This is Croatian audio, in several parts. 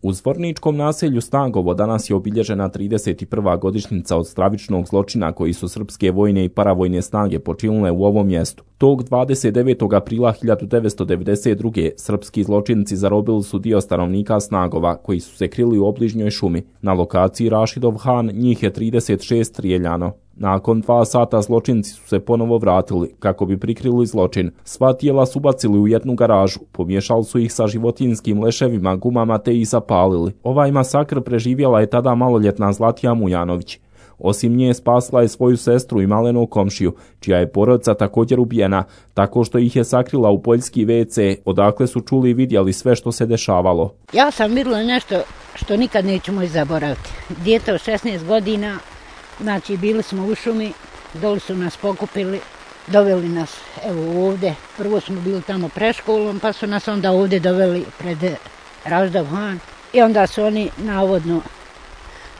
U zvorničkom naselju Snagovo danas je obilježena 31. godišnjica od stravičnog zločina koji su srpske vojne i paravojne snage počinile u ovom mjestu. Tog 29. aprila 1992. srpski zločinci zarobili su dio stanovnika Snagova koji su se krili u obližnjoj šumi. Na lokaciji Rašidov Han njih je 36 strijeljano. Nakon 2 sata zločinci su se ponovo vratili kako bi prikrili zločin. Sva tijela su bacili u jednu garažu, pomiješali su ih sa životinjskim leševima, gumama te ih zapalili. Ovaj masakr preživjela je tada maloljetna Zlatija Mujanović. Osim nje spasila je svoju sestru i malenog komšiju, čija je porodica također ubijena, tako što ih je sakrila u poljski WC, odakle su čuli i vidjeli sve što se dešavalo. Ja sam vidjela nešto što nikad nećemo zaboraviti. Dijete od 16 godina, znači bili smo u šumi, doli su nas pokupili, doveli nas evo ovdje. Prvo smo bili tamo pred školom, pa su nas onda ovdje doveli pred Raždav Han i onda su oni navodno,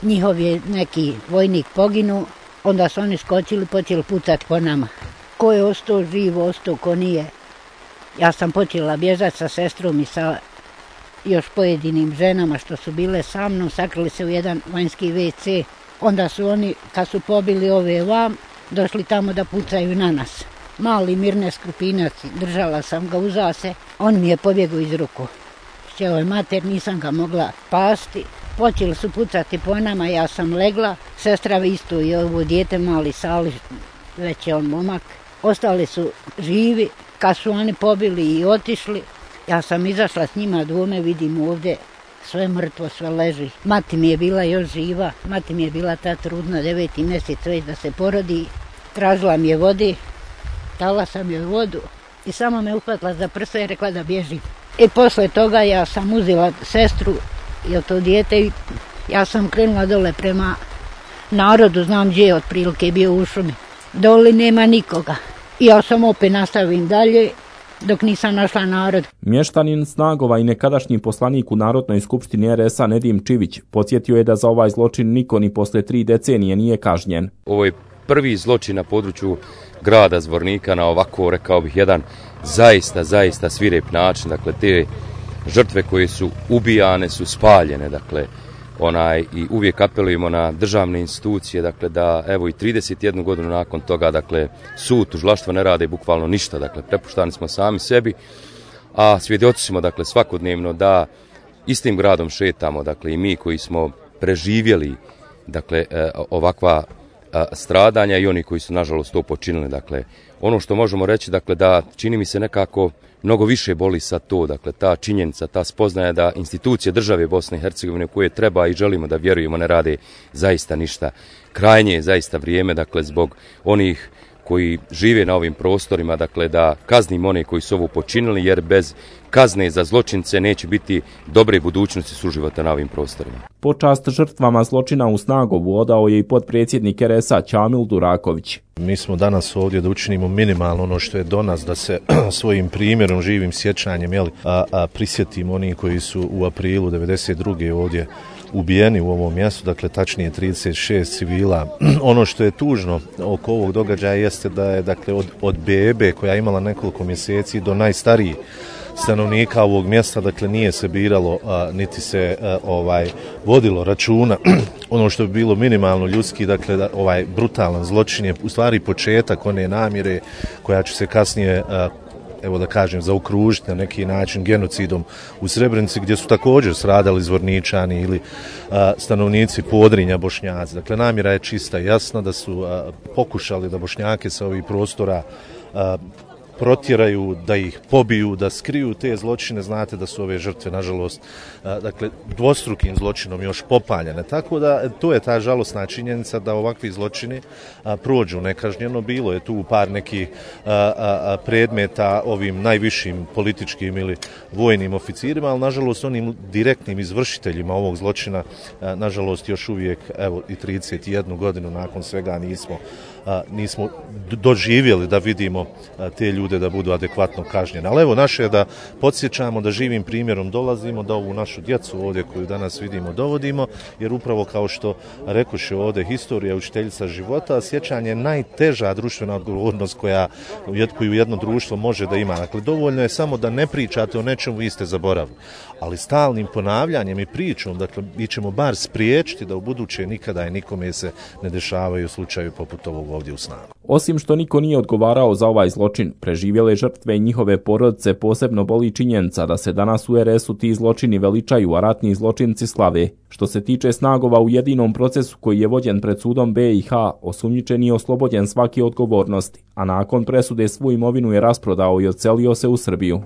njihov je neki vojnik poginu, onda su oni skočili, počeli pucati po nama. Ko je ostao živ, ostao, ko nije. Ja sam počela bježati sa sestrom i sa još pojedinim ženama što su bile sa mnom, sakrili se u jedan vanjski WC. Onda su oni, kad su pobili ove vam, došli tamo da pucaju na nas. Mali Mirne Skrupinac, držala sam ga uza se, on mi je pobjegao iz ruku. Šćeo je mater, nisam ga mogla pasti. Počeli su pucati po nama, ja sam legla, sestra isto i ovo dijete mali Sali, već je on momak. Ostali su živi, kad su oni pobili i otišli, ja sam izašla s njima dvome, vidim ovdje sve mrtvo, sve leži. Mati mi je bila još živa, mati mi je bila ta trudna, 9. mjesec već da se porodi. Tražila mi je vodi, dala sam joj vodu i samo me uhvatila za prsa i rekla da bježi. I posle toga ja sam uzela sestru i to dijete i ja sam krenula dole prema narodu, znam gdje je otprilike bio u šumi. Doli nema nikoga. I ja sam opet nastavim dalje dok nisam našla narod. Mještanin Snagova i nekadašnji poslanik u Narodnoj skupštini RS-a Nedim Čivić podsjetio je da za ovaj zločin niko ni posle 3 decenije nije kažnjen. Ovo je prvi zločin na području grada Zvornika na ovako, rekao bih, jedan zaista svirep način. Dakle, te žrtve koje su ubijane su spaljene, dakle, i uvijek apelujemo na državne institucije, dakle, da evo i 31 godinu nakon toga, dakle, sud, tužilaštvo ne rade bukvalno ništa, dakle, prepuštani smo sami sebi, a svjedoci smo, dakle, svakodnevno da istim gradom šetamo, dakle, i mi koji smo preživjeli, dakle, ovakva stradanja i oni koji su nažalost to počinili. Dakle, ono što možemo reći, dakle, da čini mi se nekako mnogo više boli sa to, dakle, ta činjenica, ta spoznaja da institucije države Bosne i Hercegovine koje treba i želimo da vjerujemo ne rade zaista ništa. Krajnje je zaista vrijeme, dakle, zbog onih koji žive na ovim prostorima, dakle, da kaznimo one koji su ovo počinili, jer bez kazne za zločince neće biti dobre budućnosti suživota na ovim prostorima. Počast žrtvama zločina u Snagovu odao je i potpredsjednik RS-a Čamil Duraković. Mi smo danas ovdje da učinimo minimalno ono što je do nas, da se svojim primjerom, živim sjećanjem, prisjetimo oni koji su u aprilu 92. ovdje ubijeni u ovom mjestu, dakle tačnije 36 civila. Ono što je tužno oko ovog događaja jeste da je, dakle, od bebe koja je imala nekoliko mjeseci do najstarijih stanovnika ovog mjesta, dakle, nije se biralo niti se vodilo računa. Ono što bi bilo minimalno ljudski, dakle, ovaj brutalan zločin je u stvari početak one namjere koja će se kasnije, evo da kažem, zaokružiti na neki način genocidom u Srebrenici, gdje su također stradali Zvorničani ili stanovnici Podrinja, Bošnjaci. Dakle, namjera je čista i jasna, da su pokušali da Bošnjake sa ovih prostora protjeraju, da ih pobiju, da skriju te zločine. Znate da su ove žrtve, nažalost, dakle, dvostrukim zločinom još popaljene. Tako da to je ta žalosna činjenica da ovakvi zločini prođu nekažnjeno. Bilo je tu par nekih predmeta ovim najvišim političkim ili vojnim oficirima, ali nažalost onim direktnim izvršiteljima ovog zločina, nažalost još uvijek, evo i 31 godinu nakon svega nismo doživjeli da vidimo te ljude ljude da budu adekvatno kažnjeni. Ali evo, naše je da podsjećamo, da živim primjerom dolazimo, da ovu našu djecu ovdje koju danas vidimo dovodimo, jer upravo kao što rekoše ovdje, historija je učiteljica života, a sjećanje je najteža društvena odgovornost koju jedno društvo može da ima. Dakle, dovoljno je samo da ne pričate o nečemu, vi ste zaboravili. Ali stalnim ponavljanjem i pričom, dakle, mi ćemo bar spriječiti da u buduće nikada i nikome se ne dešavaju slučaju poput ovog ovdje u Snagu. Osim što niko nije odgovarao za ovaj zločin, preživjele žrtve i njihove porodice posebno boli činjenica da se danas u RS-u ti zločini veličaju, a ratni zločinci slave. Što se tiče Snagova, u jedinom procesu koji je vođen pred sudom BiH, osumnjičeni je oslobođen svake odgovornosti, a nakon presude svu imovinu je rasprodao i odselio se u Srbiju.